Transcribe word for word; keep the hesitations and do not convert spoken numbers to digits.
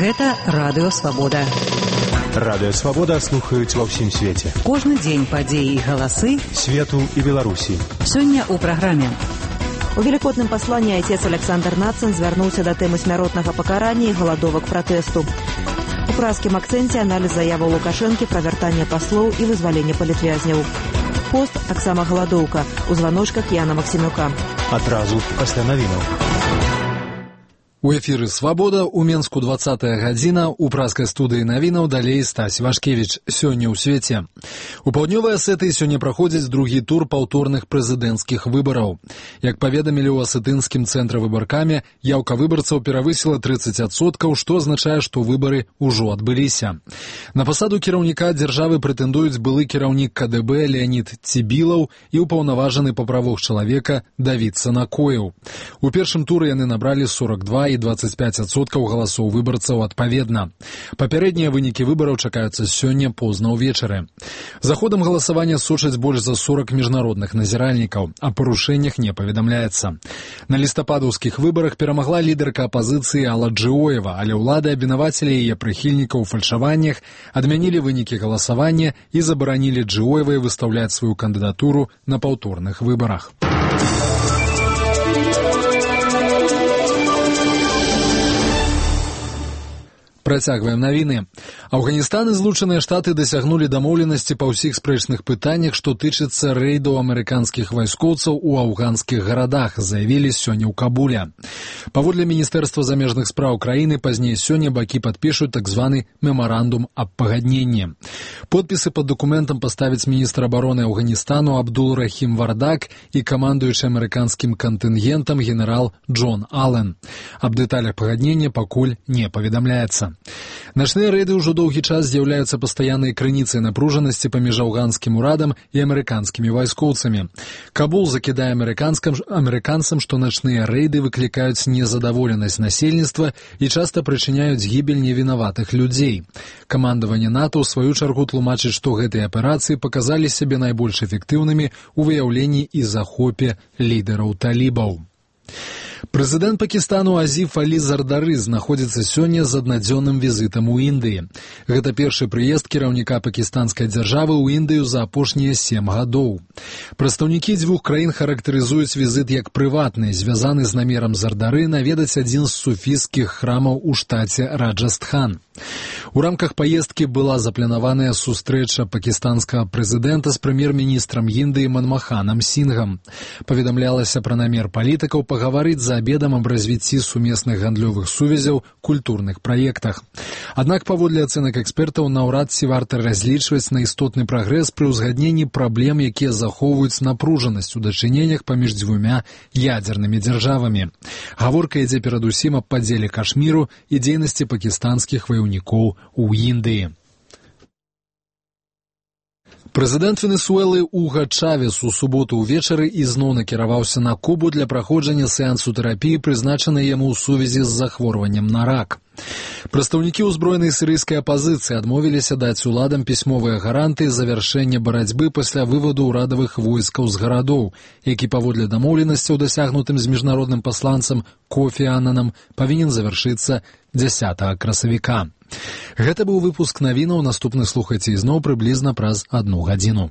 Гэта Радыё Свабода. Радыё Свабода слухаюць ва ўсім свеце. Кожны дзень падзеі і галасы свету і Беларусі. Сёння ў праграме. У велікодным пасланні айцец Александр Нацин звярнуўся да тэмы смяротнага пакарання і галадовак пратэсту. У празкім акцэнце аналіз заяваў Лукашэнкі пра вяртанне паслоў і вызваленне палітвязняў. Пост таксама галадоўка у званочках Яна Максімюка. Адразу пасля навінаў. У эфіры «Свабода» у Менску двадцатая гадзіна, у празкай студыі навінаў далей Стась Вашкевіч. Сёння ў свеце. У паўднёвай Асетыі сёння праходзіць другі тур паўторных прэзідэнцкіх выбараў. Як паведамілі ў асетынскім цэнтры выбаркамі, яўка выбарцаў перавысіла трыццаць адсоткаў, што азначае, што выбары ўжо адбыліся. На пасаду кіраўніка дзяржавы прэтэндуюць былы кіраўнік ка дэ бэ Леанід Цібілаў і ўпаўнаважаны па правах чалавека Давід Санакоеў. У першым туры яны набралі сорок два і двадцать пять адсоткаў галасоў выбарцаў адпаведна. Папярэднія вынікі выбараў чакаюцца сёння позна ўвечары. За ходам галасавання сочаць больш за сорок міжнародных назіральнікаў, а парушэннях не паведамляецца. На лістападаўскіх выбарах перамагла лідарка апазіцыі Алла Джыоева, але ўлады абвінавацілі яе прыхільнікаў у фальшаваннях, адмянілі вынікі галасавання і забаранілі Джыоевай выстаўляць сваю кандыдатуру на паўторных выбарах. Працягваем навіны. Афганістан і Злучаныя Штаты дасягнулі дамоўленасці па ўсіх спрэчных пытаннях, што тычыцца рэйдаў амерыканскіх вайскоўцаў у афганскіх гарадах, заявілі сёння ў Кабуле. Паводле Міністэрства замежных спраў краіны, пазней сёння бакі падпішуць так званы мемарандум аб пагадненні. Подпісы пад дакументам паставіць міністр абароны Афганістану Абдул-Рахім Вардак і камандуючы амерыканскім кантынгентам генерал Джон Аллен. Аб дэталях пагаднення пакуль не паведамляецца. Начныя рэйды ўжо доўгі час з'яўляюцца пастаяннай крыніцай напружанасці паміж афганскім урадам і амерыканскімі вайскоўцамі. Кабул закідае амерыканцам, што начныя рэйды выклікаюць незадаволенасць насельніцтва і часта прычыняюць гібель невінаватых людзей. Камандаванне НАТО ў сваю чаргу тлумачыць, што гэтыя аперацыі паказалі сябе найбольш эфектыўнымі ў выяўленні і захопе лідараў талібаў. Прэзідэнт Пакістану Азіф Алі Зардары знаходзіцца сёння з аднадзённым візітам у Індыі. Гэта першы прыезд кіраўніка пакістанскай дзяржавы ў Індыю за апошнія сем гадоў. Прадстаўнікі дзвюх краін характарызуюць візіт як прыватны, звязаны з намерам Зардары наведаць адзін з суфійскіх храмаў у штаце Раджастхан. У рамках паездкі была запланаваная сустрэча пакістанскага прэзідэнта з прэм'ер-міністрам Індыі Манмаханам Сінгам. Паведамлялася пра намер палітыкаў пагаварыць за абедам аб развіцці сумесных гандлёвых сувязяў, культурных праектах. Аднак, паводле ацэнак экспертаў, наўрад ці варта разлічваць на істотны прагрэс пры ўзгадненні праблем, якія захоўваюць напружанасць у дачыненнях паміж дзвюмя ядзернымі дзяржавамі. Гаворка ідзе перадусім аб падзеле Кашміру і дзейнасці пакістанскіх ваяўнікоў у Індыі. Прэзідэнт Венесуэлы Уга Чавес у суботу ўвечары ізноў накіраваўся на Кубу для праходжання сеансу тэрапіі, прызначанай яму ў сувязі з захворваннем на рак. Прадстаўнікі ўзброенай сірыйскай апазіцыі адмовіліся даць уладам пісьмовыя гарантыі завяршэння барацьбы пасля вываду ўрадавых войскаў з гарадоў, які паводле дамоўленасцяў, дасягнутым з міжнародным пасланцам Кофі Аннанам, павінен завяршыцца дзясятага красавіка. Гэта быў выпуск навінаў, наступны слухайце ізноў прыблізна праз адну гадзіну.